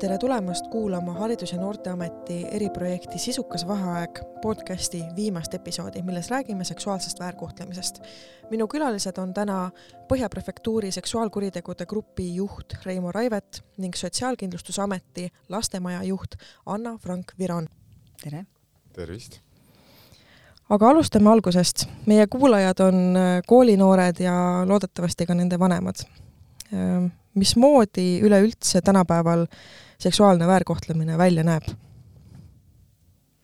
Tere tulemast kuulama Haridus- ja Noorteameti eriprojekti Sisukas vaheaeg podcasti viimast episoodi, milles räägime seksuaalsest väärkohtlemisest. Minu külalised on täna Põhjaprefektuuri seksuaalkuritegude grupi juht Reimo Raivet ning Sotsiaalkindlustusameti lastemaja juht Anna Frank-Viron. Tere! Tervist! Aga alustame algusest. Meie kuulajad on koolinoored ja loodetavasti ka nende vanemad. Mismoodi üleüldse tänapäeval seksuaalne väärkohtlemine välja näeb?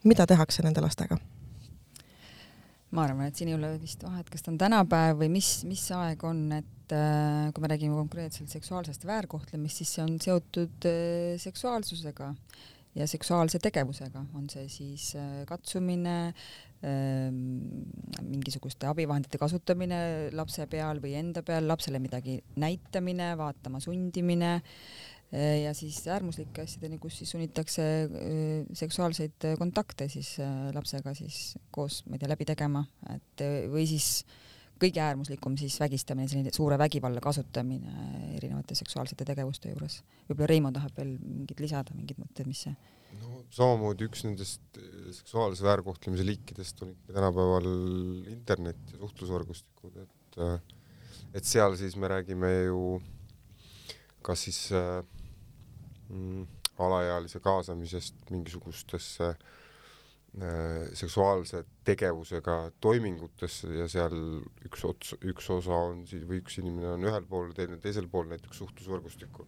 Mida tehakse nende lastega? Ma arvan, et siin ei ole vist vahet, kas ta on tänapäev või mis aeg on, et kui me räägime konkreetselt seksuaalsest väärkohtlemist, siis see on seotud seksuaalsusega ja seksuaalse tegevusega. On see siis katsumine, mingisuguste abivahendite kasutamine lapse peal või enda peal, lapsele midagi näitamine, vaatama sundimine ja siis äärmuslike asjadeni, kus siis sunnitakse seksuaalseid kontakte siis lapsega siis koos, ma ei tea, läbi tegema, et või siis kõige äärmuslikum siis vägistamine, selline suure vägivalla kasutamine erinevate seksuaalsete tegevuste juures. Võib-olla Reimo tahab veel mingid lisada, mingid mõtted, mis see? No, samamoodi üks nendest seksuaalse väärkohtlemise liikidest on ikka tänapäeval internet ja suhtlusvõrgustikud, et seal siis me räägime ju kas siis alaealise kaasamisest mingisugustesse seksuaalse tegevusega toimingutesse ja seal üks osa on siis, või üks inimene on ühel pool, teisel pool näiteks suhtlusvõrgustikku.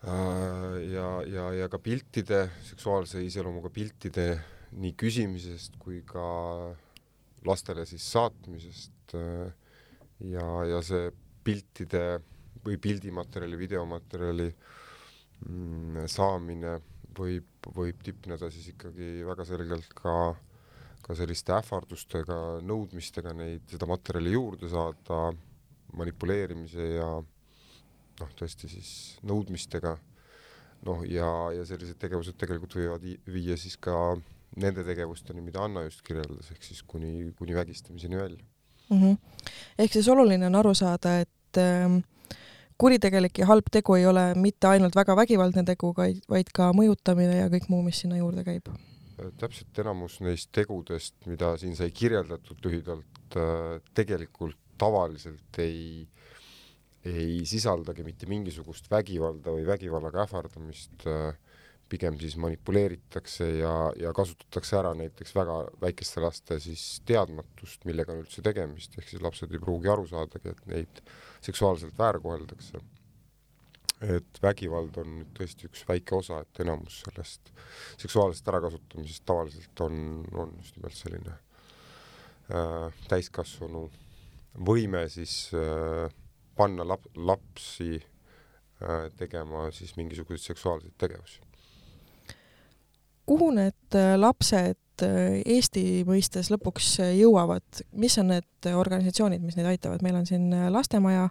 Ja ka piltide, seksuaalse iseloomuga piltide nii küsimisest kui ka lastele siis saatmisest ja see piltide või pildimaterjali, videomaterjali saamine võib tipneda siis ikkagi väga selgelt ka selliste ähvardustega, nõudmistega seda materjali juurde saada, manipuleerimise ja tõesti siis nõudmistega. Ja sellised tegevused tegelikult võivad viia siis ka nende tegevusteni, mida Anna just kirjeldas, ehk siis kuni vägistamiseni välja. Ehk siis oluline on aru saada, et kuritegelik ja halb tegu ei ole mitte ainult väga vägivaldne tegu, vaid ka mõjutamine ja kõik muu, mis sinna juurde käib. Täpselt enamus neist tegudest, mida siin sai kirjeldatud lühidalt, tegelikult tavaliselt ei sisaldagi mitte mingisugust vägivalda või vägivallaga ähvardamist, pigem siis manipuleeritakse ja kasutatakse ära näiteks väga väikeste laste siis teadmatust, millega on üldse tegemist, ehk siis lapsed ei pruugi aru saadagi, et neid seksuaalselt väärkoheldakse. Et vägivald on nüüd tõesti üks väike osa, et enamus sellest seksuaalsest ärakasutamisest tavaliselt on just nimelt selline täiskasvanu võime siis panna lapsi tegema siis mingisuguseid seksuaalseid tegevusi. Kuhu need lapsed Eesti mõistes lõpuks jõuavad? Mis on need organisatsioonid, mis neid aitavad? Meil on siin lastemaja,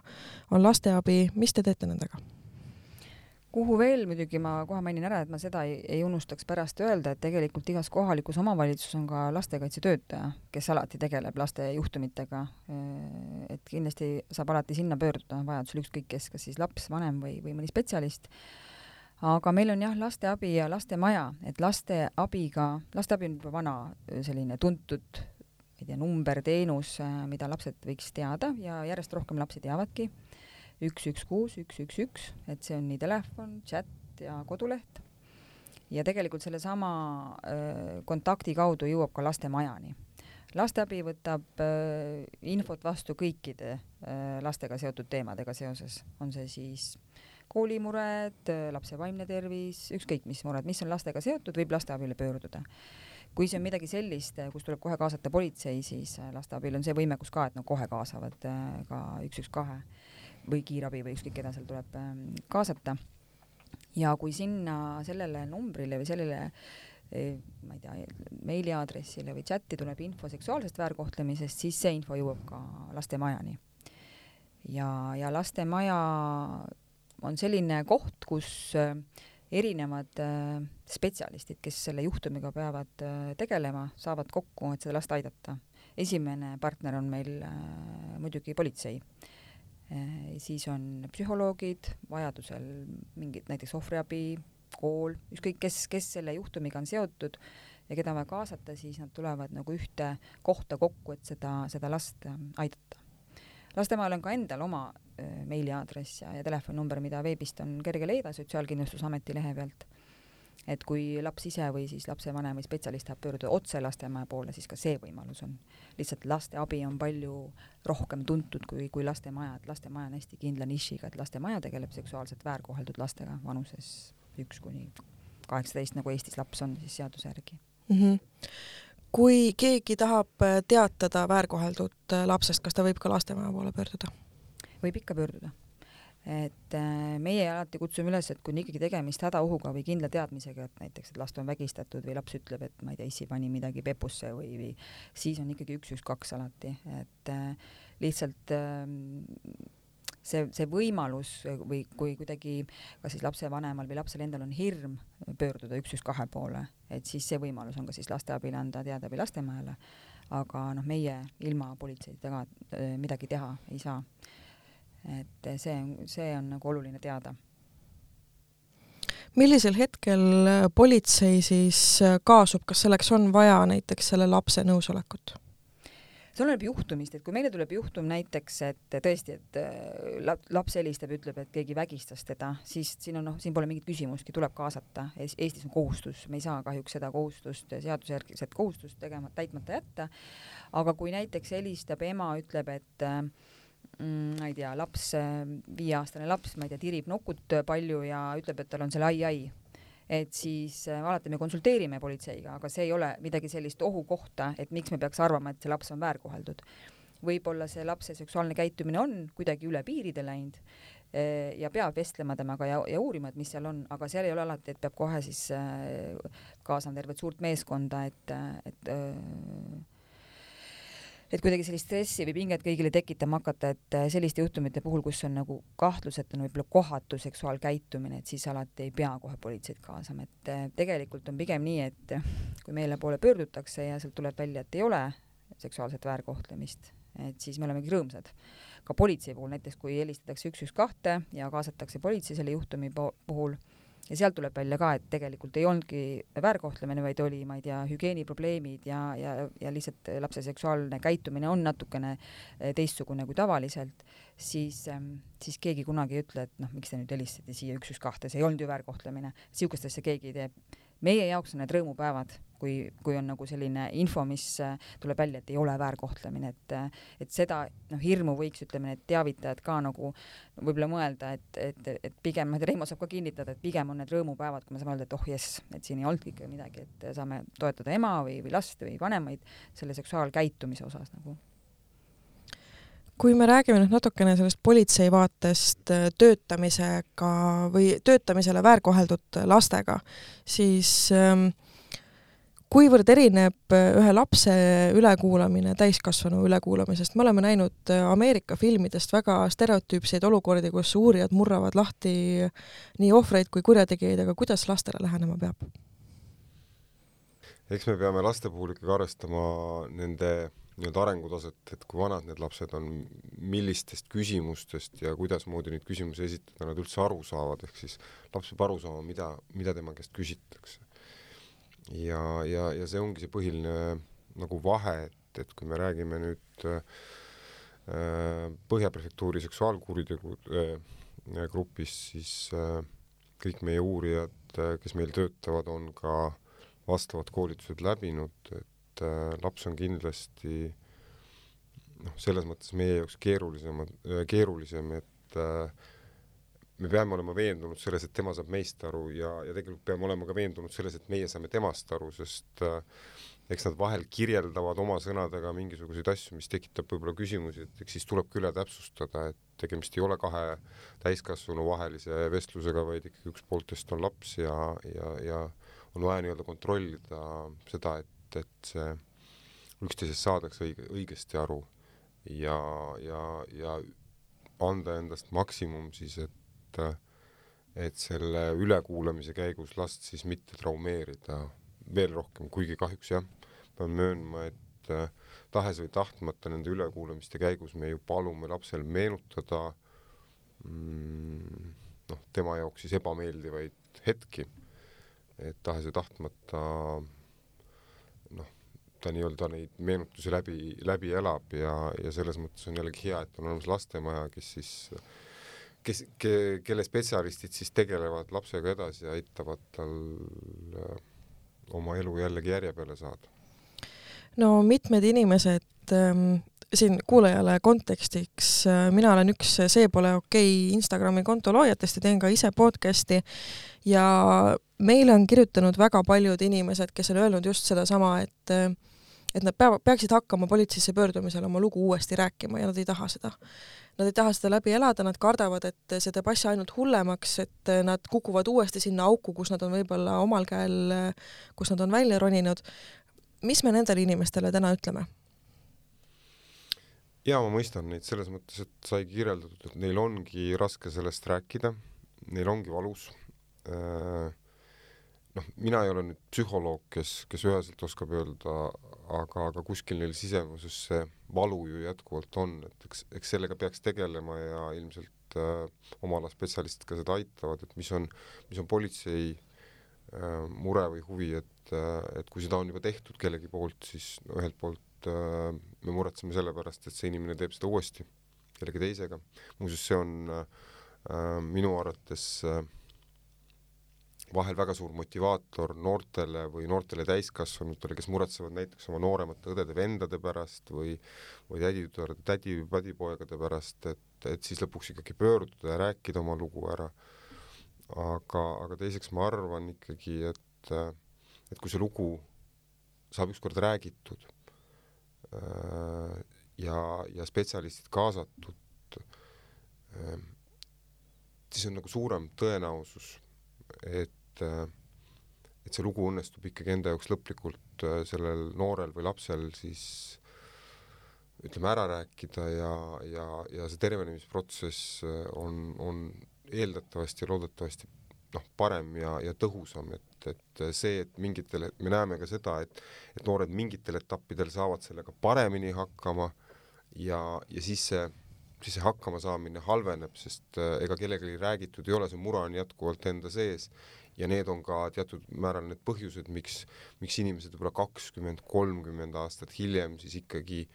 on lasteabi. Mis te teete nendega? Kuhu veel muidugi ma kohe mainin ära, et ma seda ei unustaks pärast öelda, et tegelikult igas kohalikus omavalitsus on ka lastekaitsetöötaja, kes alati tegeleb laste juhtumitega. Et kindlasti saab alati sinna pöörduda vajadusel ükskõik kes, kas siis laps, vanem või mõni spetsialist. Aga meil on jah lasteabi ja lastemaja, et lasteabi on juba vana selline tuntud numberteenus, mida lapsed võiks teada ja järjest rohkem lapsi teavadki. 116, 111, et see on nii telefon, chat ja koduleht. Ja tegelikult selle sama kontakti kaudu jõuab ka lastemajani. Lasteabi võtab infot vastu kõikide lastega seotud teemadega seoses. On see siis koolimured, lapse vaimne tervis, ükskõik mis mured, mis on lastega seotud, võib lasteabile pöörduda. Kui see on midagi sellist, kus tuleb kohe kaasata politsei, siis lasteabil on see võimekus ka, et nad kohe kaasavad ka 112 või kiirabi või ükskõik keda seal tuleb kaasata. Ja kui sinna sellele numbrile või sellele ma ei tea, meiliaadressile või chatti tuleb info seksuaalsest väärkohtlemisest, siis see info jõuab ka lastemajani. Ja lastemaja on selline koht, kus erinevad spetsialistid, kes selle juhtumiga peavad tegelema, saavad kokku, et seda last aidata. Esimene partner on meil muidugi politsei. siis on psühholoogid, vajadusel mingid näiteks ohvriabi, kool, ükskõik kes selle juhtumiga on seotud ja keda on vaja kaasata, siis nad tulevad nagu ühte kohta kokku, et seda last aidata. Lastemaal on ka endal oma meiliaadress ja telefoninumber, mida veebist on kerge leida Sotsiaalkindlustusameti lehe pealt. Et kui laps ise või siis lapsevanem või spetsialist tahab pöörduda otse lastemaja poole, siis ka see võimalus on. Lihtsalt laste abi on palju rohkem tuntud kui lastemaja, et lastemaja on hästi kindla nišiga, et lastemaja tegeleb seksuaalselt väärkoheldud lastega vanuses 1–18, nagu Eestis laps on siis seaduse järgi. Kui keegi tahab teatada väärkoheldud lapsest, kas ta võib ka lastemaja poole pöörduda? Võib ikka pöörduda. Et meie alati kutsume üles, et kui on ikkagi tegemist hädaohuga või kindla teadmisega, et näiteks et last on vägistatud või laps ütleb, et ma ei tea, issi pani midagi pepusse või siis on ikkagi 112 alati. Et lihtsalt see võimalus või kui kuidagi kas siis lapsevanemal või lapsel endal on hirm pöörduda 112 poole, et siis see võimalus on ka siis lasteabile anda teada või lastemajale, aga meie ilma politseid taga midagi teha ei saa. Et see on nagu oluline teada. Millisel hetkel politsei siis kaasub, kas selleks on vaja näiteks selle lapse nõusolekut? See oleneb juhtumist, et kui meile tuleb juhtum näiteks, et tõesti, et laps helistab, ütleb, et keegi vägistas teda, siis siin pole mingit küsimustki, tuleb kaasata. Eestis on kohustus, me ei saa kahjuks seda kohustust, seadusjärgiset kohustust täitmata jätta, aga kui näiteks helistab ema, ütleb, et ma ei tea, laps, 5-aastane laps, ma ei tea, tirib nokut palju ja ütleb, et tal on selle ai, et siis alati me konsulteerime politseiga, aga see ei ole midagi sellist ohukohta, et miks me peaks arvama, et see laps on väärkoheldud. Võib-olla see lapse seksuaalne käitumine on kuidagi üle piiride läinud ja peab vestlema temaga ja uurima, et mis seal on, aga seal ei ole alati, et peab kohe siis kaasama tervet suurt meeskonda, et kuidagi sellist stressi või pinget kõigile tekitama hakata, et selliste juhtumite puhul, kus on nagu kahtlus, et on võib-olla kohatu seksuaalkäitumine, et siis alati ei pea kohe politseid kaasama. Et tegelikult on pigem nii, et kui meile poole pöördutakse ja sealt tuleb välja, et ei ole seksuaalset väärkohtlemist, et siis me olemegi rõõmsad. Ka politsei puhul, näiteks kui helistatakse 112 ja kaasatakse politsei selle juhtumi puhul, ja sealt tuleb välja ka, et tegelikult ei olnudki väärkohtlemine, vaid oli, ma ei tea, hügieeniprobleemid ja lihtsalt lapse seksuaalne käitumine on natukene teistsugune kui tavaliselt, siis keegi kunagi ei ütle, et miks te nüüd helistati siia 112, see ei olnud ju väärkohtlemine. Siukestesse keegi ei tee. Meie jaoks on need rõõmupäevad, kui on nagu selline info, mis tuleb välja, et ei ole väärkohtlemine, et seda hirmu võiks, ütleme, need teavitajad ka nagu võib-olla mõelda, et pigem, Reimo saab ka kinnitada, et pigem on need rõõmupäevad, kui me saame öelda, et jess, et siin ei olnud ikka midagi, et saame toetada ema või last või vanemaid selle seksuaalkäitumise osas nagu. Kui me räägime nüüd natukene sellest politsei vaatest töötamisega või töötamisele väärkoheldud lastega, siis kuivõrd erineb ühe lapse ülekuulamine täiskasvanu ülekuulamisest? Me oleme näinud Ameerika filmidest väga stereotüüpseid olukordi, kus uurijad murravad lahti nii ohvreid kui kurjategijaid, aga kuidas lastele lähenema peab? Eks me peame laste puhul ikkagi arvestama nende arengutaset, et kui vanad need lapsed on, millistest küsimustest ja kuidas moodi neid küsimusi esitada, nad üldse aru saavad, ehk siis laps peab aru saama, mida tema käest küsitakse. Ja see ongi see põhiline nagu vahe, et kui me räägime nüüd Põhjaprefektuuri seksuaalkuritegu grupis, siis kõik meie uurijad, kes meil töötavad, on ka vastavad koolitused läbinud, et laps on kindlasti selles mõttes meie jaoks keerulisem, et me peame olema veendunud selles, et tema saab meist aru ja tegelikult peame olema ka veendunud selles, et meie saame temast aru, sest eks nad vahel kirjeldavad oma sõnadega mingisuguseid asju, mis tekitab võib-olla küsimusi, et eks siis tulebki üle täpsustada, et tegemist ei ole kahe täiskasvanu vahelise vestlusega, vaid ikkagi üks pooltest on laps ja on vaja nii-öelda kontrollida seda, et see üksteisest saadakse õigesti aru ja anda endast maksimum siis, et selle ülekuulamise käigus last siis mitte traumeerida veel rohkem, kuigi kahjuks pean möönma, et tahes või tahtmata nende ülekuulamiste käigus me ju palume lapsel meenutada tema jaoks siis ebameeldivaid hetki, et tahes ja tahtmata ta nii-öelda neid meenutusi läbi elab ja selles mõttes on jällegi hea, et on olemas lastemaja, kelle spetsialistid siis tegelevad lapsega edasi ja aitavad tal oma elu jällegi järje peale saada. No mitmed inimesed siin kuulajale kontekstiks, mina olen üks See pole okei Instagrami konto loojatest ja teen ka ise podcasti ja meile on kirjutanud väga paljud inimesed, kes on öelnud just sedasama, et nad peaksid hakkama politseisse pöördumisel oma lugu uuesti rääkima ja nad ei taha seda. Nad ei taha seda läbi elada, nad kardavad, et see teeb asja ainult hullemaks, et nad kukuvad uuesti sinna auku, kus nad on võib-olla omal käel, kus nad on välja roninud. Mis me nendele inimestele täna ütleme? Ja ma mõistan neid selles mõttes, et sai kirjeldatud, et neil ongi raske sellest rääkida, neil ongi valus. Mina ei ole nüüd psühholoog, kes üheselt oskab öelda, aga kuskil neil sisemuses see valu ju jätkuvalt on, et eks sellega peaks tegelema ja ilmselt oma ala spetsialistid ka seda aitavad, et mis on politsei mure või huvi, et kui seda on juba tehtud kellegi poolt, siis ühelt poolt me muretseme selle pärast, et see inimene teeb seda uuesti kellegi teisega. Muuseas, see on minu arvates vahel väga suur motivaator noortele täiskasvanutele, kes muretsevad näiteks oma nooremate õdede-vendade pärast või tädi-padipoegade pärast, et siis lõpuks ikkagi pöörduda ja rääkida oma lugu ära. Aga teiseks ma arvan ikkagi, et kui see lugu saab ükskord räägitud ja spetsialistid kaasatud, siis on nagu suurem tõenäosus, et see lugu õnnestub ikkagi enda jaoks lõplikult sellel noorel või lapsel siis ütleme ära rääkida ja see tervenemisprotsess on eeldatavasti ja loodetavasti parem ja tõhusam, et see, et me näeme ka seda, et noored mingitel etappidel saavad sellega paremini hakkama ja siis see hakkama saamine halveneb, sest ega kellelegi räägitud ei ole, see mure on jätkuvalt enda sees ja need on ka teatud määral need põhjused, miks inimesed võib-olla 20-30 aastat hiljem siis ikkagi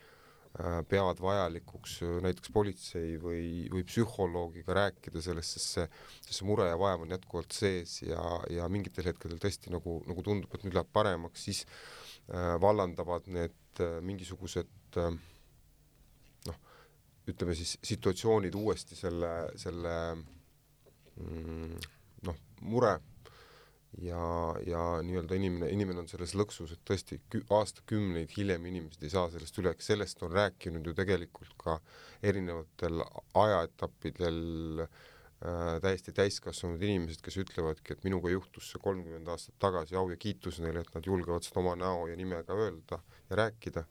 peavad vajalikuks näiteks politsei või psühholoogiga rääkida sellest, sest see mure ja vaev on jätkuvalt sees ja mingitel hetkedel tõesti nagu tundub, et nüüd läheb paremaks, siis vallandavad need mingisugused ütleme siis situatsioonid uuesti selle mure ja nii-öelda inimene on selles lõksus, et tõesti aastakümneid hiljem inimesed ei saa sellest üle, sellest on rääkinud ju tegelikult ka erinevatel ajaetappidel täiesti täiskasvanud inimesed, kes ütlevadki, et minuga juhtus see 30 aastat tagasi, au ja kiitus neile, et nad julgevad seda oma näo ja nimega öelda ja rääkida.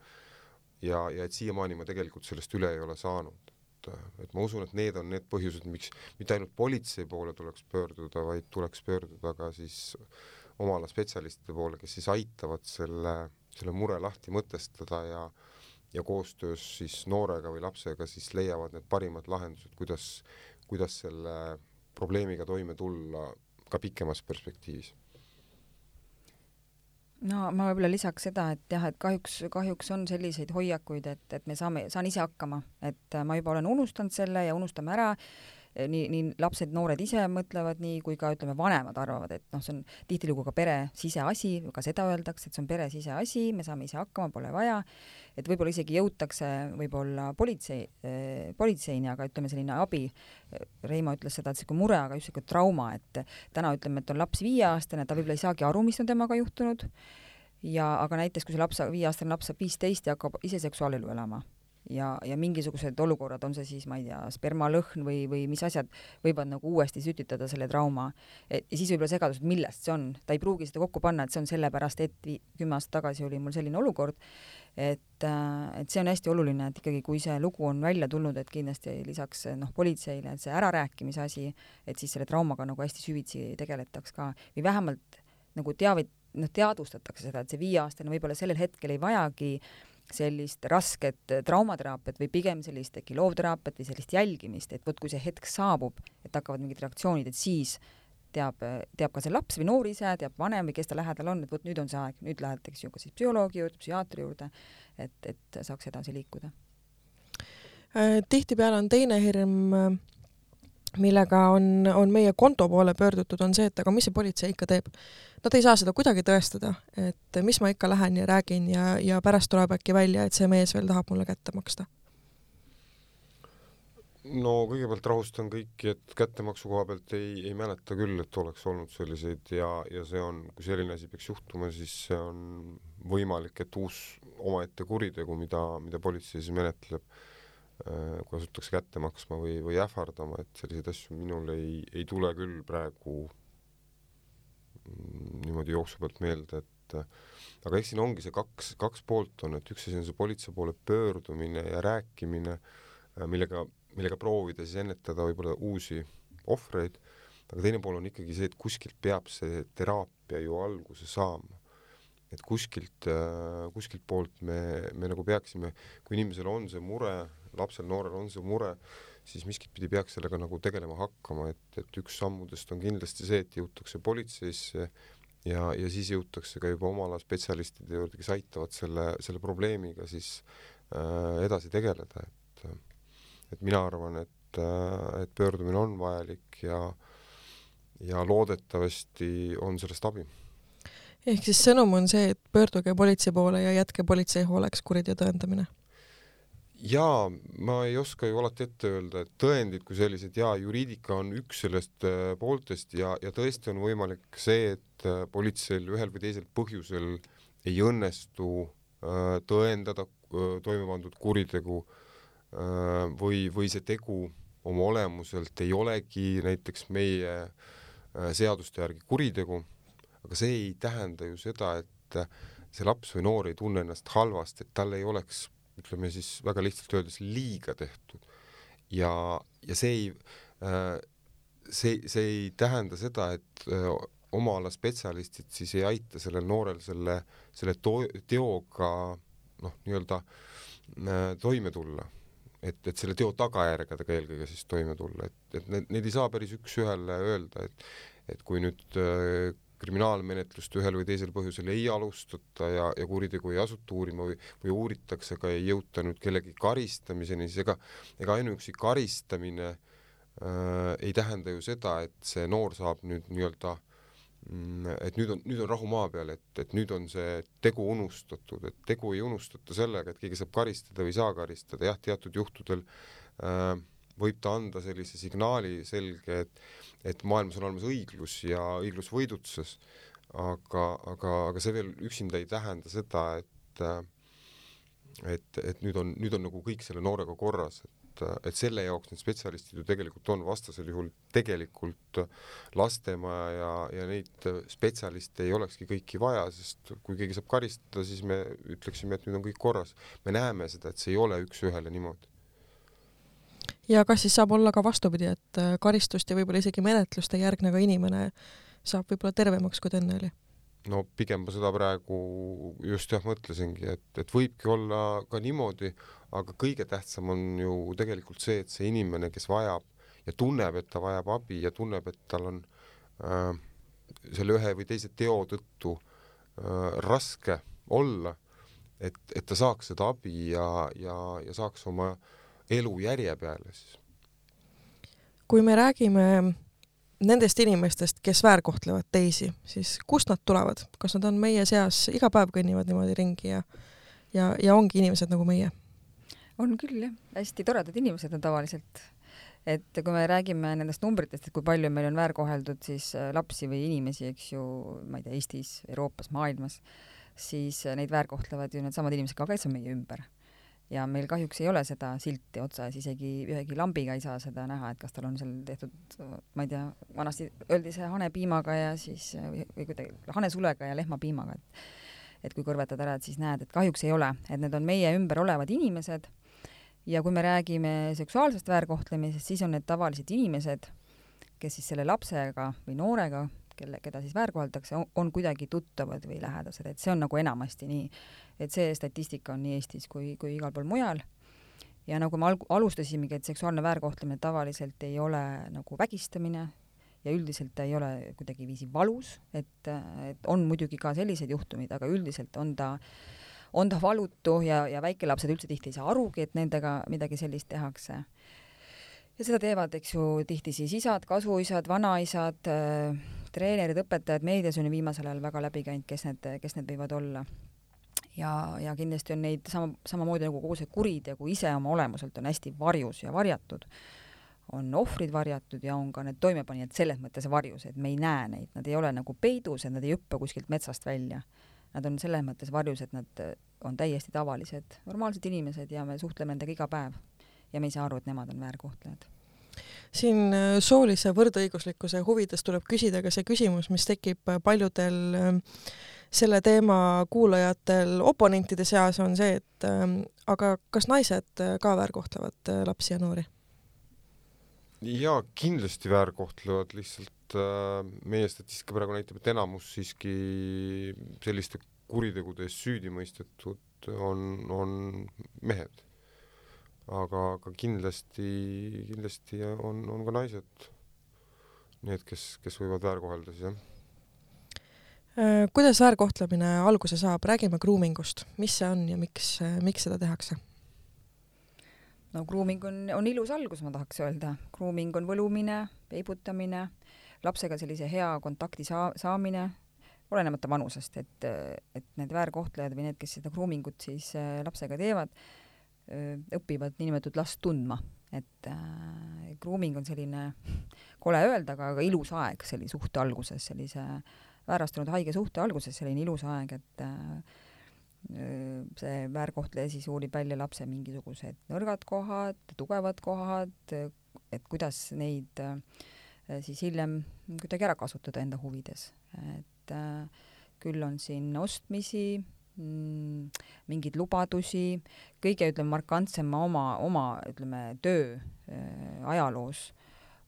Ja et siiamaani ma tegelikult sellest üle ei ole saanud. Et ma usun, et need on need põhjused, miks mitte ainult politsei poole tuleks pöörduda, vaid tuleks pöörduda ka siis oma ala spetsialistide poole, kes siis aitavad selle mure lahti mõtestada ja koostöös siis noorega või lapsega siis leiavad need parimad lahendused, kuidas selle probleemiga toime tulla ka pikemas perspektiivis. No ma võib-olla lisaks seda, et jah, et kahjuks on selliseid hoiakuid, et saan ise hakkama, et ma juba olen unustanud selle ja unustame ära, nii lapsed, noored ise mõtlevad nii, kui ka ütleme vanemad arvavad, et see on tihtilugu ka pere siseasi, ka seda öeldakse, et see on pere siseasi, me saame ise hakkama, pole vaja, et võib-olla isegi jõutakse võib-olla politseini, aga ütleme selline abi, Reimo ütles seda, et see mure, aga just trauma, et täna ütleme, et on laps 5-aastane, ta võib-olla ei saagi aru, mis on temaga juhtunud, aga näiteks kui see 5-aastane laps saab 15 ja hakkab ise seksuaalelu elama ja mingisugused olukorrad, on see siis, ma ei tea, spermalõhn või mis asjad võivad nagu uuesti sütitada selle trauma. Ja siis võib-olla segadus, et millest see on. Ta ei pruugi seda kokku panna, et see on sellepärast, et 10 aastat tagasi oli mul selline olukord, et see on hästi oluline, et ikkagi kui see lugu on välja tulnud, et kindlasti lisaks politseile, et see ärarääkimise asi, et siis selle traumaga nagu hästi süvitsi tegeletaks ka või vähemalt nagu teadvustatakse seda, et see 5-aastane võib-olla sellel hetkel ei vajagi sellist rasket traumateraapiat või pigem sellist äkki loovteraapiat või sellist jälgimist, et vot kui see hetk saabub, et hakkavad mingid reaktsioonid, et siis teab ka see laps või noor ise, teab vanem või kes ta lähedal on, et vot nüüd on see aeg, nüüd lähetakse ju ka siis psühholoogi juurde, psühhiaatri juurde, et saaks edasi liikuda. Tihtipeale on teine hirm, millega on meie konto poole pöördutud, on see, et aga mis see politsei ikka teeb. Nad ei saa seda kuidagi tõestada, et mis ma ikka lähen ja räägin ja pärast tuleb äkki välja, et see mees veel tahab mulle kätte maksta. No kõigepealt rahustan kõiki, et kättemaksu koha pealt ei mäleta küll, et oleks olnud selliseid ja see on, kui selline asi peaks juhtuma, siis see on võimalik, et uus omaette kuritegu, mida politsei siis menetleb, kui asutakse kätte maksma või ähvardama, et selliseid asju minul ei tule küll praegu niimoodi jooksu pealt meelde, et aga eks siin ongi see kaks poolt on, et üks asi on see politsei poole pöördumine ja rääkimine, millega proovida siis ennetada võib-olla uusi ohvreid, aga teine pool on ikkagi see, et kuskilt peab see teraapia ju alguse saama. Et kuskilt poolt me nagu peaksime, kui inimesel on see mure, lapsel, noorel on see mure, siis miskit pidi peaks sellega nagu tegelema hakkama, et üks sammudest on kindlasti see, et jõutakse politseisse ja siis jõutakse ka juba oma ala spetsialistide juurde, kes aitavad selle probleemiga siis edasi tegeleda, et mina arvan, et pöördumine on vajalik ja loodetavasti on sellest abi. Ehk siis sõnum on see, et pöörduge politsei poole ja jätke politsei hooleks kuriteo tõendamine? Jaa, ma ei oska ju alati ette öelda, et tõendid kui sellised, juriidika on üks sellest pooltest ja tõesti on võimalik see, et politseil ühel või teisel põhjusel ei õnnestu tõendada toime pandud kuritegu või see tegu oma olemuselt ei olegi näiteks meie seaduste järgi kuritegu, aga see ei tähenda ju seda, et see laps või noor ei tunne ennast halvasti, et tal ei oleks, ütleme siis väga lihtsalt öeldes, liiga tehtud. Ja see ei tähenda seda, et oma ala spetsialistid siis ei aita sellel noorel selle teoga nii-öelda toime tulla. Et selle teo tagajärgedega eelkõige siis toime tulla, et need ei saa päris üks-ühele öelda, et kui nüüd kriminaalmenetlust ühel või teisel põhjusel ei alustata ja kuritegu ei asuta uurima või uuritakse, aga ei jõuta nüüd kellegi karistamiseni, siis ega ainuüksi karistamine ei tähenda ju seda, et see noor saab nüüd nii-öelda, et nüüd on rahu maa peal, et nüüd on see tegu unustatud, et tegu ei unustata sellega, et keegi saab karistada või saa karistada, teatud juhtudel võib ta anda sellise signaali selge, et maailmas on olemas õiglus ja õiglus võidutses, aga see veel üksinda ei tähenda seda, et nüüd on nagu kõik selle noorega korras, et selle jaoks need spetsialistid ju tegelikult on, vastasel juhul tegelikult lastemaja ja neid spetsialiste ei olekski kõiki vaja, sest kui keegi saab karistada, siis me ütleksime, et nüüd on kõik korras. Me näeme seda, et see ei ole üks-ühele niimoodi. Ja kas siis saab olla ka vastupidi, et karistust ja võib-olla isegi menetlust ei järgnega inimene saab võib-olla tervemaks, kui ta enne oli? No pigem ma seda praegu just mõtlesingi, et võibki olla ka niimoodi, aga kõige tähtsam on ju tegelikult see, et see inimene, kes vajab ja tunneb, et ta vajab abi ja tunneb, et tal on selle ühe või teise teo tõttu raske olla, et ta saaks seda abi ja saaks oma elu järje peale siis. Kui me räägime nendest inimestest, kes väärkohtlevad teisi, siis kust nad tulevad? Kas nad on meie seas, iga päev kõnnivad niimoodi ringi ja ongi inimesed nagu meie? On küll, jah. Hästi toredad inimesed on tavaliselt. Et kui me räägime nendest numbritest, et kui palju meil on väärkoheldud siis lapsi või inimesi, eks ju, ma ei tea, Eestis, Euroopas, maailmas, siis neid väärkohtlevad ju need samad inimesed ka, kes on meie ümber. Ja meil kahjuks ei ole seda silti otsas, isegi ühegi lambiga ei saa seda näha, et kas tal on seal tehtud, ma ei tea, vanasti öeldi see hanepiimaga ja siis, või kuidagi hanesulega ja lehmapiimaga, et kui kõrvetad ära, et siis näed, et kahjuks ei ole, et need on meie ümber olevad inimesed ja kui me räägime seksuaalsest väärkohtlemisest, siis on need tavalised inimesed, kes siis selle lapsega või noorega, keda siis väärkoheldakse, on kuidagi tuttavad või lähedased, et see on nagu enamasti nii, et see statistika on nii Eestis kui igal pool mujal. Ja nagu me alustasimegi, et seksuaalne väärkohtlemine tavaliselt ei ole nagu vägistamine ja üldiselt ta ei ole kuidagi viisi valus, et on muidugi ka sellised juhtumid, aga üldiselt on ta valutu ja väikelapsed üldse tihti ei saa arugi, et nendega midagi sellist tehakse. Ja seda teevad, eks ju, tihti siis isad, kasuisad, vanaisad, treenerid, õpetajad, meedias on viimasel ajal väga läbi käinud, kes need võivad olla. Ja kindlasti on neid samamoodi nagu kogu see kuritegu ise oma olemuselt on hästi varjus ja varjatud. On ohvrid varjatud ja on ka need toimepanijad selles mõttes varjus, et me ei näe neid. Nad ei ole nagu peidus, et nad ei hüppa kuskilt metsast välja. Nad on selles mõttes varjus, et nad on täiesti tavalised, normaalsed inimesed ja me suhtleme nendega iga päev. Ja me ei saa aru, et nemad on väärkohtlejad. Siin soolise võrdõiguslikkuse huvides tuleb küsida ka see küsimus, mis tekib paljudel selle teema kuulajatel oponentide seas on see, et aga kas naised ka väärkohtlevad lapsi ja noori? Ja kindlasti väärkohtlevad, lihtsalt meie statistika praegu näitab, et enamus siiski selliste kuritegude süüdi mõistetud on mehed. Aga kindlasti on ka naised need, kes võivad väärkohelda siis, jah. Kuidas väärkohtlemine alguse saab? Räägime groomingust. Mis see on ja miks seda tehakse? No grooming on ilus algus, ma tahaks öelda. Grooming on võlumine, peibutamine, lapsega sellise hea kontakti saamine, olenemata vanusest, et need väärkohtlejad või need, kes seda groomingut siis lapsega teevad, õpivad niinimetatud last tundma. Et grooming on selline, kole öelda, aga ilus aeg sellise suhte alguses, sellise väärastunud haige suhte alguses, selline ilus aeg, et see väärkohtleja siis uurib välja lapse mingisugused nõrgad kohad, tugevad kohad, et kuidas neid siis hiljem kuidagi ära kasutada enda huvides. Et küll on siin ostmisi, mingeid lubadusi, kõige markantsem oma töö ajaloos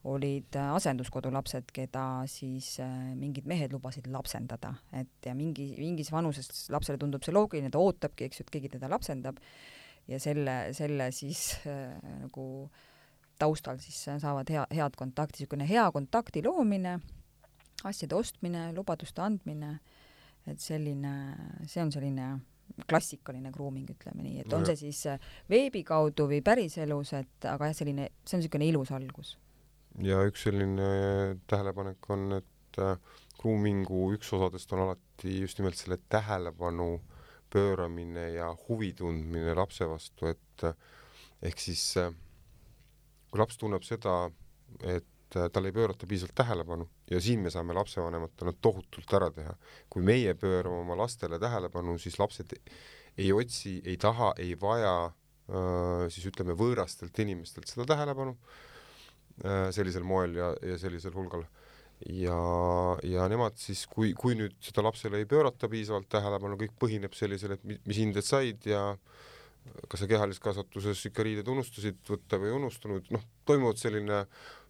olid asenduskodu lapsed, keda siis mingid mehed lubasid lapsendada, et ja mingis vanuses lapsele tundub see loogiline, ta ootabki, eks ju, et keegi teda lapsendab ja selle siis nagu taustal siis saavad head kontakti, niisugune hea kontakti loomine, asjade ostmine, lubaduste andmine, et see on selline klassikaline grooming, ütleme nii, et on see siis veebi kaudu või päriselus, et aga see on niisugune ilus algus. Ja üks selline tähelepanek on, et groomingu üks osadest on alati just nimelt selle tähelepanu pööramine ja huvi tundmine lapse vastu, et ehk siis kui laps tunneb seda, et tal ei pöörata piisavalt tähelepanu ja siin me saame lapsevanematena tohutult ära teha. Kui meie pöörame oma lastele tähelepanu, siis lapsed ei otsi, ei taha, ei vaja siis ütleme võõrastelt inimestelt seda tähelepanu sellisel moel ja sellisel hulgal. Ja nemad siis, kui nüüd seda lapsele ei pöörata piisavalt tähelepanu, kõik põhineb sellisel, et mis hinded said ja kas sa kehalises kasvatuses ikka riided unustasid võtta või unustunud, toimuvad selline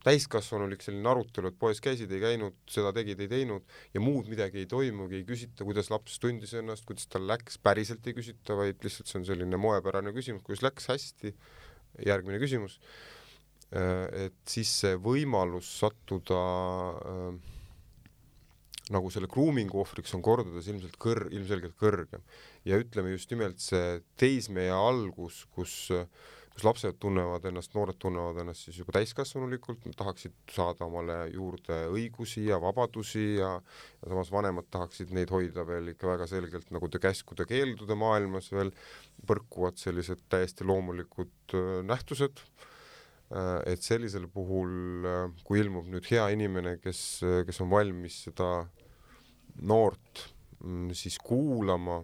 täiskasvanulik selline arutelu, et poes käisid, ei käinud, seda tegid, ei teinud ja muud midagi ei toimugi, ei küsita, kuidas laps tundis ennast, kuidas tal läks, päriselt ei küsita, vaid lihtsalt see on selline moepärane küsimus, kuidas läks hästi, järgmine küsimus. Et siis see võimalus sattuda nagu selle groomingu ohvriks on kordades ilmselgelt kõrgem. Ja ütleme just nimelt see teismeja algus, kus lapsed tunnevad ennast, noored tunnevad ennast siis juba täiskasvanulikult, nad tahaksid saada omale juurde õigusi ja vabadusi ja samas vanemad tahaksid neid hoida veel ikka väga selgelt nagu käskude keeldude maailmas veel põrkuvad sellised täiesti loomulikud nähtused. Et sellisel puhul, kui ilmub nüüd hea inimene, kes on valmis seda noort siis kuulama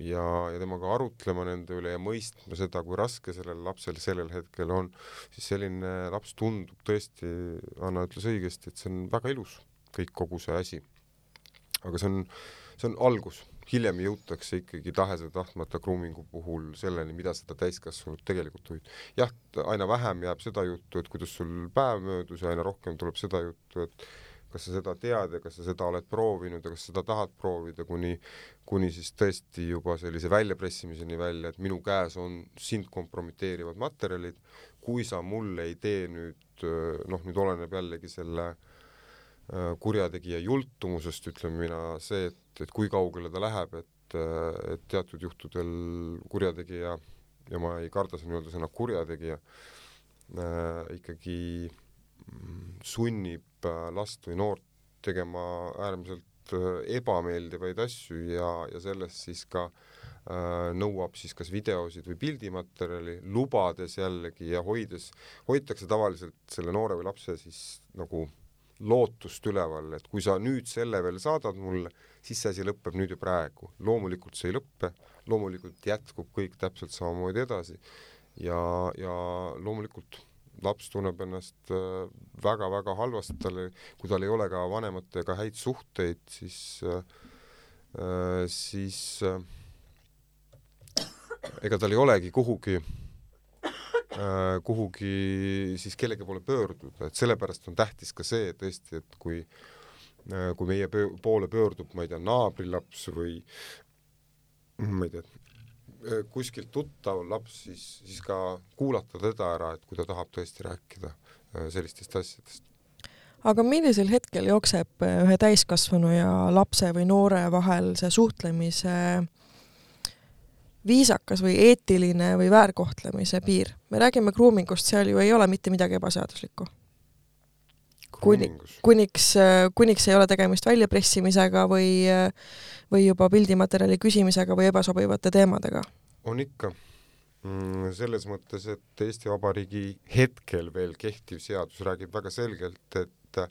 ja temaga arutlema nende üle ja mõistma seda, kui raske sellel lapsel sellel hetkel on, siis selline laps tundub tõesti, Anna ütles õigesti, et see on väga ilus kõik kogu see asi. Aga see on algus. Hiljem jõutakse ikkagi tahese tahtmata groomingu puhul selleni, mida seda täiskasvanud tegelikult huvib. Jah, aina vähem jääb seda juttu, et kuidas sul päev möödus ja aina rohkem tuleb seda juttu, et kas sa seda tead ja kas sa seda oled proovinud ja kas seda tahad proovida, kuni siis tõesti juba sellise väljapressimiseni välja, et minu käes on sind kompromiteerivad materjalid, kui sa mulle ei tee nüüd, nüüd oleneb jällegi selle kurjategija jultumusest, ütleme mina, see, et kui kaugele ta läheb, et teatud juhtudel kurjategija, ja ma ei karda siin öelda sõna kurjategija, ikkagi sunnib last või noort tegema äärmiselt ebameeldivaid asju ja sellest siis ka nõuab siis kas videosid või pildimaterjali, lubades jällegi ja hoitakse tavaliselt selle noore või lapse siis nagu lootust üleval, et kui sa nüüd selle veel saadad mulle, siis see asi lõpeb nüüd ja praegu. Loomulikult see ei lõppe, loomulikult jätkub kõik täpselt samamoodi edasi ja loomulikult laps tunneb ennast väga-väga halvasti, kui tal ei ole ka vanematega häid suhteid, siis ega tal ei olegi kuhugi siis kellegi poole pöörduda, et sellepärast on tähtis ka see, et tõesti, et kui meie poole pöördub, ma ei tea, naabrilaps või ma ei tea, kuskilt tuttav laps, siis ka kuulata teda ära, et kui ta tahab tõesti rääkida sellistest asjadest. Aga millisel hetkel jookseb ühe täiskasvanu ja lapse või noore vahel see suhtlemise viisakas või eetiline või väärkohtlemise piir? Me räägime groomingust, seal ju ei ole mitte midagi ebaseaduslikku. Kuniks ei ole tegemist väljapressimisega või juba pildimaterjali küsimisega või ebasobivate teemadega? On ikka. Selles mõttes, et Eesti Vabariigi hetkel veel kehtiv seadus räägib väga selgelt, et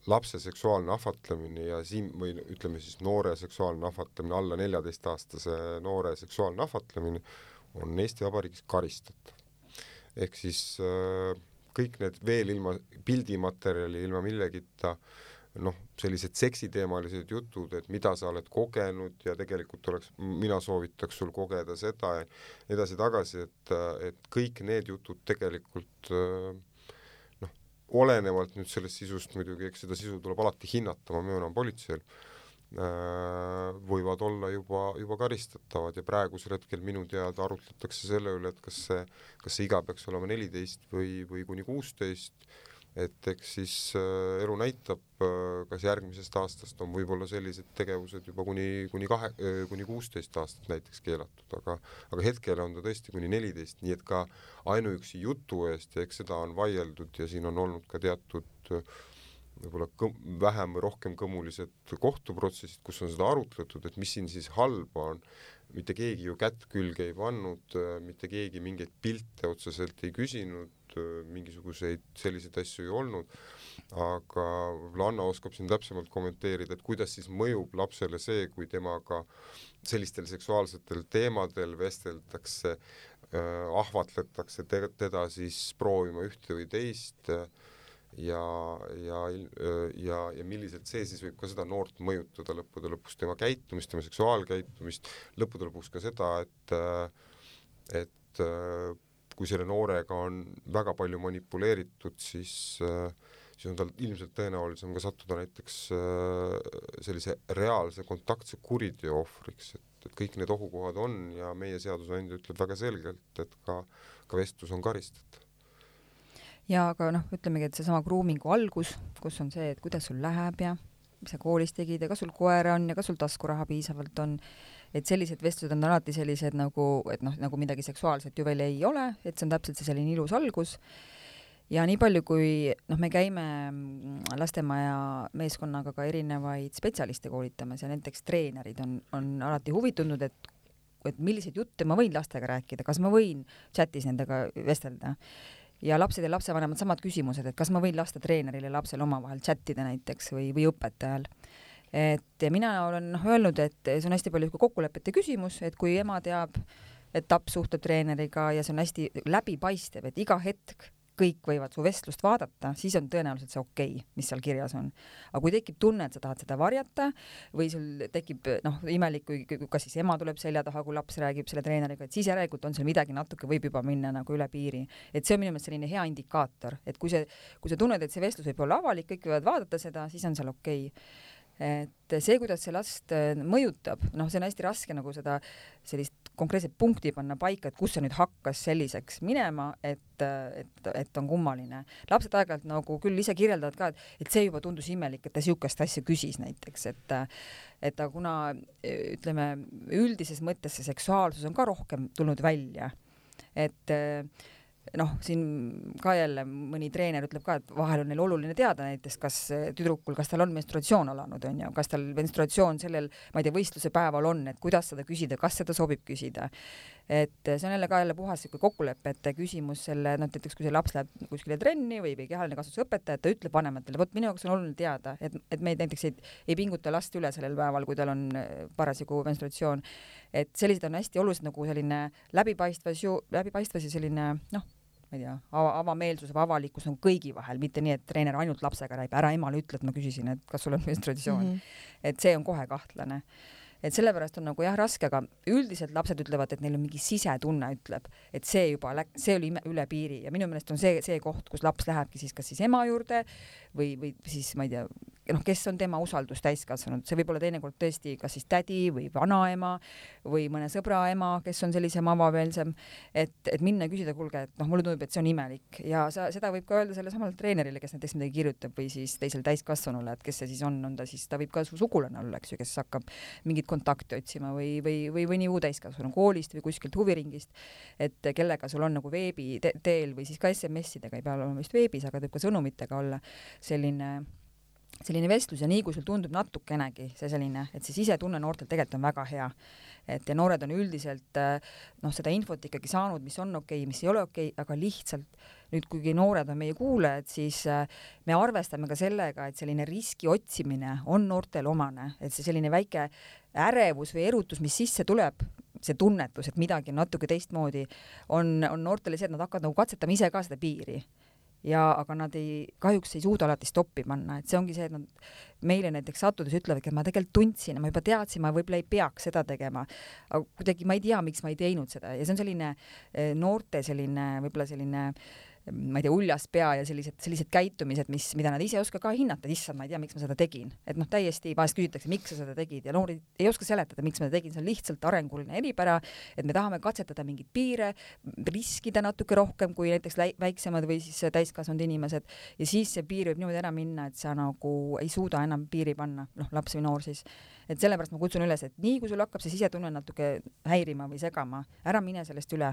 lapse seksuaalne ahvatlemine ja siin või ütleme siis noore seksuaalne ahvatlemine, alla 14-aastase noore seksuaalne ahvatlemine on Eesti Vabariigis karistatav. Ehk siis kõik need veel ilma pildimaterjali, ilma millegita, sellised seksiteemalised jutud, et mida sa oled kogenud ja tegelikult mina soovitaks sul kogeda seda ja edasi-tagasi, et kõik need jutud tegelikult olenevalt nüüd sellest sisust muidugi, eks seda sisu tuleb alati hinnata, ma möönan politseil, võivad olla juba karistatavad ja praegusel hetkel minu teada arutletakse selle üle, et kas see iga peaks olema 14 või kuni 16, et eks siis elu näitab, kas järgmisest aastast on võib-olla sellised tegevused juba kuni 16 aastat näiteks keelatud, aga hetkel on ta tõesti kuni 14, nii et ka ainuüksi jutu eest ja eks seda on vaieldud ja siin on olnud ka teatud võib-olla vähem või rohkem kõmulised kohtuprotsessid, kus on seda arutletud, et mis siin siis halba on. Mitte keegi ju kätt külge ei pannud, mitte keegi mingeid pilte otseselt ei küsinud, mingisuguseid selliseid asju ei olnud, aga Anna oskab siin täpsemalt kommenteerida, et kuidas siis mõjub lapsele see, kui temaga sellistel seksuaalsetel teemadel vesteldakse, ahvatletakse teda siis proovima ühte või teist ja milliselt see siis võib ka seda noort mõjutada lõppude lõpuks tema käitumist, tema seksuaalkäitumist, lõppude lõpuks ka seda, et kui selle noorega on väga palju manipuleeritud, siis on tal ilmselt tõenäolisem ka sattuda näiteks sellise reaalse kontaktse kuriteo ohvriks, et kõik need ohukohad on ja meie seadusandja ütleb väga selgelt, et ka vestlus on karistatav. Ja aga ütlemegi, et seesama groomingu algus, kus on see, et kuidas sul läheb ja mis sa koolis tegid ja kas sul koera on ja kas sul taskuraha piisavalt on, et sellised vestlused on alati sellised nagu midagi seksuaalset ju veel ei ole, et see on täpselt see selline ilus algus. Ja nii palju, kui me käime lastemaja meeskonnaga ka erinevaid spetsialiste koolitamas ja näiteks treenerid on alati huvitunud, et milliseid jutte ma võin lastega rääkida, kas ma võin chatis nendega vestelda. Ja lapsed ja lapsevanemad samad küsimused, et kas ma võin lasta treeneril ja lapsel omavahel chattida näiteks või õpetajal. Et mina olen öelnud, et see on hästi palju kokkulepete küsimus, et kui ema teab, et laps suhtleb treeneriga ja see on hästi läbipaistev, et iga hetk kõik võivad su vestlust vaadata, siis on tõenäoliselt see okei, mis seal kirjas on. Aga kui tekib tunne, et sa tahad seda varjata või sul tekib imelik, kui kas siis ema tuleb selja taha, kui laps räägib selle treeneriga, et siis järelikult on seal midagi natuke võib juba minna nagu üle piiri. Et see on minu meelest selline hea indikaator, et kui sa tunned, et see vestlus võib olla avalik, kõik võivad vaadata seda, siis on seal okei. Et see, kuidas see last mõjutab, see on hästi raske nagu seda sellist konkreetset punkti panna paika, et kus see nüüd hakkas selliseks minema, et on kummaline. Lapsed aeg-ajalt nagu küll ise kirjeldavad ka, et see juba tundus imelik, et ta sihukest asja küsis näiteks, et ta kuna ütleme üldises mõttes see seksuaalsus on ka rohkem tulnud välja, et siin ka jälle mõni treener ütleb ka, et vahel on neil oluline teada näiteks, kas tüdrukul, kas tal on menstruatsioon alanud, on ju, kas tal menstruatsioon sellel, ma ei tea, võistluse päeval on, et kuidas seda küsida, kas seda sobib küsida. Et see on jälle puhas kokkulepete küsimus selle, näiteks kui see laps läheb kuskile trenni või kehaline kasvatusõpetaja, ta ütleb vanematele, vot minu jaoks on oluline teada, et me näiteks ei pinguta last üle sellel päeval, kui tal on parasjagu menstruatsioon. Et sellised on hästi olulised nagu selline läbipaistvas ja selline, ma ei tea, avameelsus või avalikkus on kõigi vahel, mitte nii, et treener ainult lapsega räägib, ära emale ütle, et ma küsisin, et kas sul on menstruatsioon. Et see on kohe kahtlane. Et sellepärast on nagu raske, aga üldiselt lapsed ütlevad, et neil on mingi sisetunne ütleb, et see oli üle piiri ja minu meelest on see koht, kus laps lähebki siis kas siis ema juurde või siis ma ei tea, kes on tema usaldus täiskasvanud, see võib olla teinekord tõesti kas siis tädi või vanaema või mõne sõbra ema, kes on sellisem avameelsem, et minna ja küsida, kuulge, et mulle tundub, et see on imelik ja seda võib ka öelda selle samale treenerile, kes näiteks midagi kirjutab või siis teisele täiskasvanule, et kes see siis on ta võib ka su sugulane olla, eks ju, kes hakkab mingit kontakti otsima või nii muu täiskasvanu koolist või kuskilt huviringist, et kellega sul on nagu veebi teel või siis ka SMS-idega, ei pea olema vist veebis, aga võib ka sõnumitega olla selline vestlus ja nii, kui sul tundub natukenegi see selline, et see sisetunne noortel tegelikult on väga hea. Et ja noored on üldiselt seda infot ikkagi saanud, mis on okei, mis ei ole okei, aga lihtsalt nüüd, kuigi noored on meie kuulajad, siis me arvestame ka sellega, et selline riski otsimine on noortel omane, et see selline väike ärevus või erutus, mis sisse tuleb, see tunnetus, et midagi on natuke teistmoodi, on noortele see, et nad hakkavad nagu katsetama ise ka seda piiri. Aga nad kahjuks ei suuda alati stoppi panna, et see ongi see, et nad meile näiteks sattudes ütlevadki, et ma tegelikult tundsin, ma juba teadsin, ma võib-olla ei peaks seda tegema, aga kuidagi ma ei tea, miks ma ei teinud seda ja see on selline noorte võib-olla selline ma ei tea, uljas pea ja sellised käitumised, mida nad ise ei oska ka hinnata, issand, ma ei tea, miks ma seda tegin. Et täiesti vahest küsitakse, miks sa seda tegid ja noorid ei oska seletada, miks ma seda tegin, see on lihtsalt arenguline eripära, et me tahame katsetada mingid piire, riskida natuke rohkem kui näiteks väiksemad või siis täiskasvanud inimesed ja siis see piir võib niimoodi ära minna, et sa nagu ei suuda enam piiri panna, laps või noor siis. Et sellepärast ma kutsun üles, et nii kui sul hakkab see sisetunne natuke häirima või segama, ära mine sellest üle,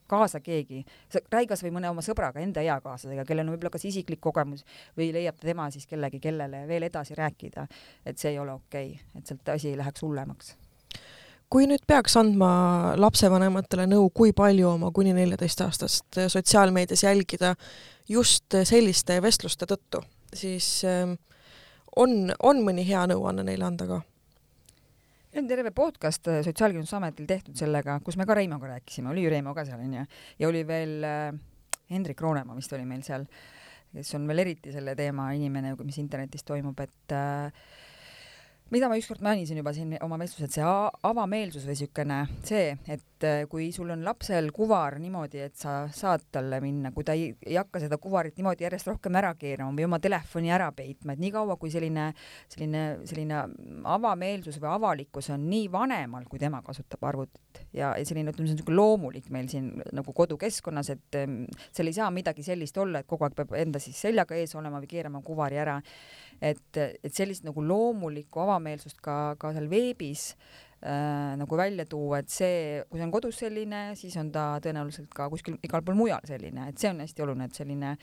kaasa keegi, räägi kas või mõne oma sõbraga, enda eakaaslasega, kellel on võib-olla kas isiklik kogemus või leiab tema siis kellegi, kellele veel edasi rääkida, et see ei ole okei, et sealt asi ei läheks hullemaks. Kui nüüd peaks andma lapsevanematele nõu, kui palju oma kuni 14-aastast sotsiaalmeedias jälgida just selliste vestluste tõttu, siis on mõni hea nõuanne neile anda ka? On terve podcast Sotsiaalkindlustusametil tehtud sellega, kus me ka Reimoga rääkisime, oli ju Reimo ka seal, ja oli veel Hendrik Roonemaa vist oli meil seal, kes on veel eriti selle teema inimene, mis internetis toimub, et mida ma ükskord mainisin juba siin oma vestlused, see avameelsus või sükene see, et kui sul on lapsel kuvar niimoodi, et sa saad talle minna, kui ta ei hakka seda kuvarit niimoodi järjest rohkem ära keerama või oma telefoni ära peitma, et nii kaua kui selline avameelsus või avalikkus on nii vanemal, kui tema kasutab arvutit ja selline, ütleme, see on loomulik meil siin nagu kodukeskkonnas, et seal ei saa midagi sellist olla, et kogu aeg peab enda siis seljaga ees olema või keerama kuvari ära. Et sellist nagu loomulikku avameelsust ka seal veebis nagu välja tuua, et see, kui see on kodus selline, siis on ta tõenäoliselt ka kuskil igal pool mujal selline, et see on hästi oluline, et selline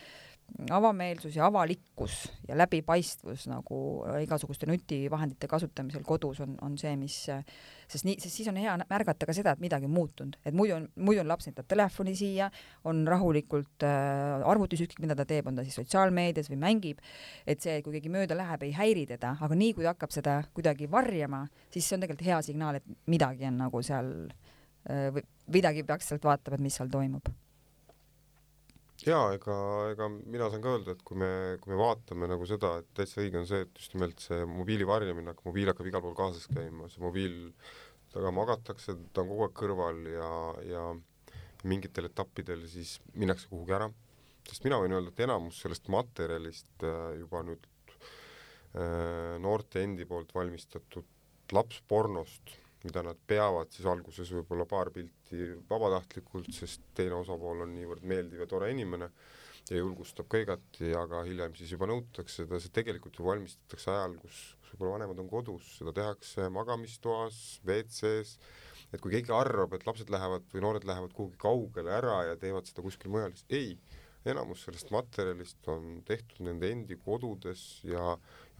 avameelsus ja avalikkus ja läbipaistvus nagu igasuguste nutivahendite kasutamisel kodus on see, sest siis on hea märgata ka seda, et midagi on muutunud, et muidu on laps näitab telefoni siia, on rahulikult arvutis ükskõik, mida ta teeb, on ta siis sotsiaalmeedias või mängib, et see, kui keegi mööda läheb, ei häiri teda, aga nii kui ta hakkab seda kuidagi varjama, siis see on tegelikult hea signaal, et midagi on nagu seal, midagi peaks sealt vaatama, et mis seal toimub. Jaa, ega mina saan ka öelda, et kui me vaatame nagu seda, et täitsa õige on see, et just nimelt see mobiili varjamine, mobiil hakkab igal pool kaasas käima, see mobiil, taga magatakse, ta on kogu aeg kõrval ja mingitel etappidel siis minnakse kuhugi ära, sest mina võin öelda, et enamus sellest materjalist juba nüüd noorte endi poolt valmistatud lapspornost, mida nad peavad siis alguses võib-olla paar pilti vabatahtlikult, sest teine osapool on niivõrd meeldiv ja tore inimene ja julgustab ka igati, aga hiljem siis juba nõutakse seda, see tegelikult ju valmistatakse ajal, kus võib-olla vanemad on kodus, seda tehakse magamistoas, WC-s, et kui keegi arvab, et lapsed lähevad või noored lähevad kuhugi kaugele ära ja teevad seda kuskil mujal, siis ei, enamus sellest materjalist on tehtud nende endi kodudes ja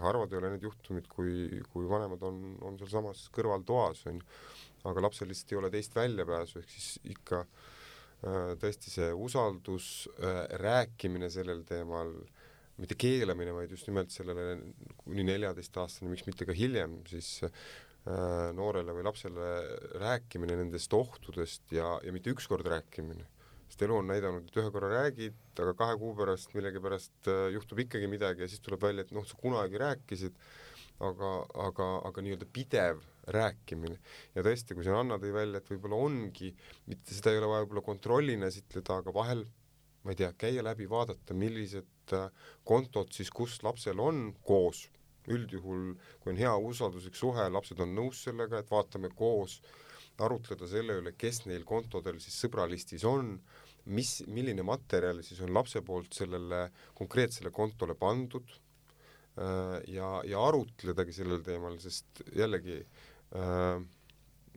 harvad ei ole need juhtumid, kui vanemad on seal samas kõrvaltoas, aga lapsel lihtsalt ei ole teist väljapääsu, ehk siis ikka tõesti see usaldus, rääkimine sellel teemal, mitte keelamine, vaid just nimelt sellele kuni 14-aastane, miks mitte ka hiljem, siis noorele või lapsele rääkimine nendest ohtudest ja mitte ükskord rääkimine. Sest elu on näidanud, et ühe korra räägid, aga 2 kuu pärast millegipärast juhtub ikkagi midagi ja siis tuleb välja, et sa kunagi rääkisid, aga nii-öelda pidev rääkimine. Ja tõesti, kui see Anna tõi välja, et võib-olla ongi, mitte seda ei ole vaja võib-olla kontrollina esitleda, aga vahel, ma ei tea, käia läbi, vaadata, millised kontod siis, kus lapsel on koos. Üldjuhul, kui on hea usalduslik suhe, lapsed on nõus sellega, et vaatame koos, arutleda selle üle, kes neil kontodel siis sõbralistis on, milline materjal siis on lapse poolt sellele konkreetsele kontole pandud ja arutledagi sellel teemal, sest jällegi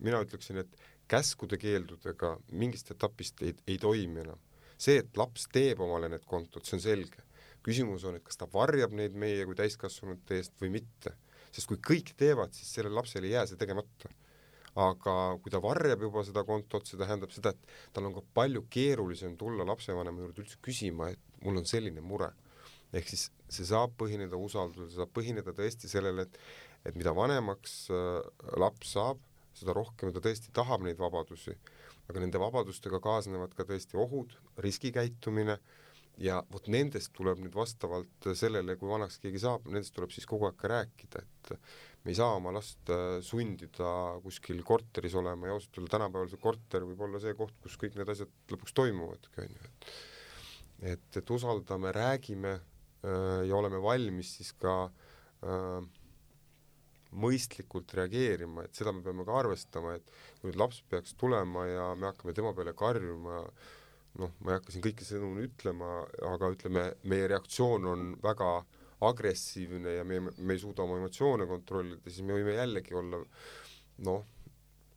mina ütleksin, et käskude keeldudega mingist etapist ei toimi enam. See, et laps teeb omale need kontod, see on selge. Küsimus on, et kas ta varjab neid meie kui täiskasvanute eest või mitte. Sest kui kõik teevad, siis sellel lapsel ei jää see tegemata. Aga kui ta varjab juba seda kontot, see tähendab seda, et tal on ka palju keerulisem tulla lapsevanema juurde üldse küsima, et mul on selline mure. Ehk siis see saab põhineda usaldusel, see saab põhineda tõesti sellele, et mida vanemaks laps saab, seda rohkem ta tõesti tahab neid vabadusi. Aga nende vabadustega kaasnevad ka tõesti ohud, riskikäitumine ja vot nendest tuleb nüüd vastavalt sellele, kui vanaks keegi saab, nendest tuleb siis kogu aeg ka rääkida, et me ei saa oma last sundida kuskil korteris olema ja ausalt öelda tänapäeval see korter võib olla see koht, kus kõik need asjad lõpuks toimuvad. Et usaldame, räägime ja oleme valmis siis ka mõistlikult reageerima, et seda me peame ka arvestama, et kui nüüd laps peaks tulema ja me hakkame tema peale karjuma, ma ei hakka siin kõike sõnu ütlema, aga ütleme, meie reaktsioon on väga agressiivne ja me ei suuda oma emotsioone kontrollida, siis me võime jällegi olla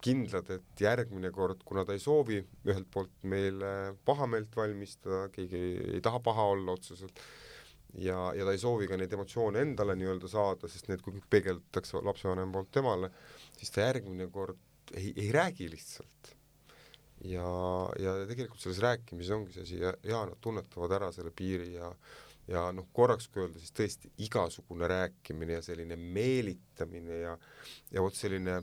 kindlad, et järgmine kord, kuna ta ei soovi ühelt poolt meile pahameelt valmistada, keegi ei taha paha olla otseselt ja ta ei soovi ka neid emotsioone endale nii-öelda saada, sest need kui peegeldatakse lapsevanem poolt temale, siis ta järgmine kord ei räägi lihtsalt. Ja tegelikult selles rääkimises ongi see asi ja nad tunnetavad ära selle piiri ja korraks kui öelda, siis tõesti igasugune rääkimine ja selline meelitamine ja vot selline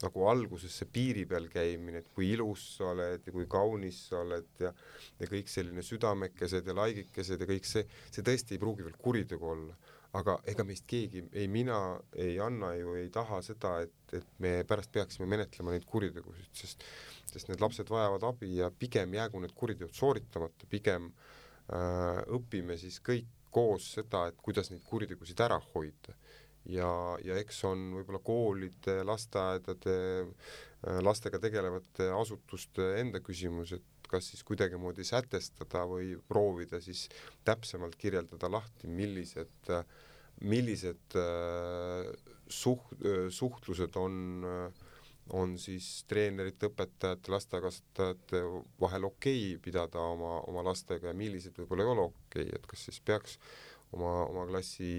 nagu alguses see piiri peal käimine, et kui ilus sa oled ja kui kaunis sa oled ja kõik selline südamekesed ja laigikesed ja kõik see tõesti ei pruugi veel kuritegu olla, aga ega meist keegi, ei mina, ei Anna ju ei taha seda, et me pärast peaksime menetlema neid kuritegusid, sest need lapsed vajavad abi ja pigem jäägu need kuriteod sooritamata, pigem õpime siis kõik koos seda, et kuidas neid kuritegusid ära hoida. Ja eks on võib-olla koolide, lasteaedade, lastega tegelevate asutuste enda küsimus, et kas siis kuidagi moodi sätestada või proovida siis täpsemalt kirjeldada lahti, millised suhtlused on siis treenerite, õpetajate, lasteaiakasvatajate vahel okei pidada oma lastega ja millised võib-olla ei ole okei, et kas siis peaks oma klassi,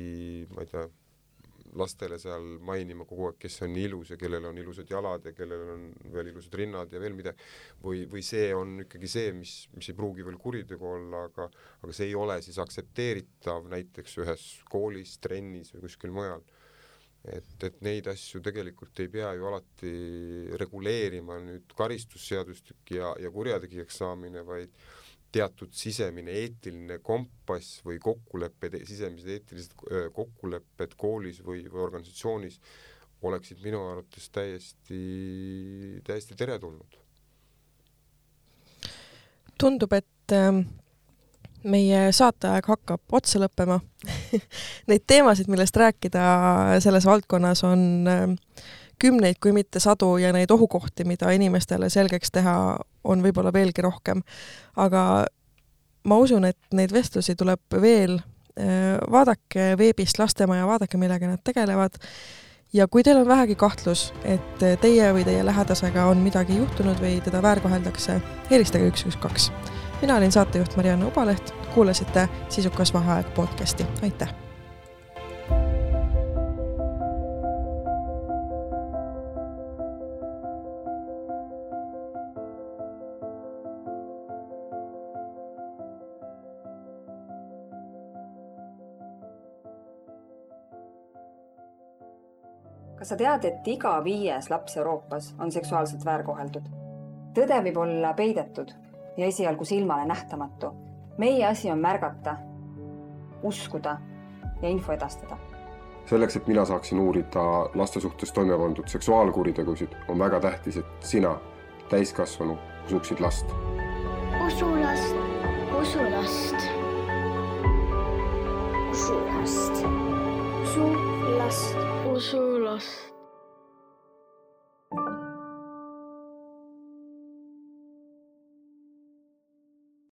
ma ei tea, lastele seal mainima kogu aeg, kes on ilus ja kellel on ilusad jalad ja kellel on veel ilusad rinnad ja veel midagi, või see on ikkagi see, mis ei pruugi veel kuritegu olla, aga see ei ole siis aktsepteeritav näiteks ühes koolis, trennis või kuskil mujal. Et neid asju tegelikult ei pea ju alati reguleerima nüüd karistusseadustik ja kurjategijaks saamine, vaid teatud sisemine eetiline kompass või kokkulepped, sisemised eetilised kokkulepped koolis või organisatsioonis oleksid minu arvates täiesti teretulnud. Tundub, et meie saateaeg hakkab otsa lõppema. Neid teemasid, millest rääkida selles valdkonnas on kümneid, kui mitte sadu ja neid ohukohti, mida inimestele selgeks teha, on võib-olla veelgi rohkem. Aga ma usun, et neid vestlusi tuleb veel. Vaadake veebist Lastemaja, vaadake, millega nad tegelevad. Ja kui teil on vähegi kahtlus, et teie või teie lähedasega on midagi juhtunud või teda väärkoheldakse, helistage 112. Mina olin saatejuht Marianne Ubaleht, kuulasite Sisukas vaheaeg podcasti. Aitäh! Kas sa tead, et iga 5. laps Euroopas on seksuaalselt väärkoheldud? Tõde võib olla peidetud ja esialgu silmale nähtamatu. Meie asi on märgata, uskuda ja info edastada. Selleks, et mina saaksin uurida laste suhtes toime pandud seksuaalkuritegusid, on väga tähtis, et sina, täiskasvanu, usuksid last. Usu last, usu last. Usu last. Usu last. Usu last.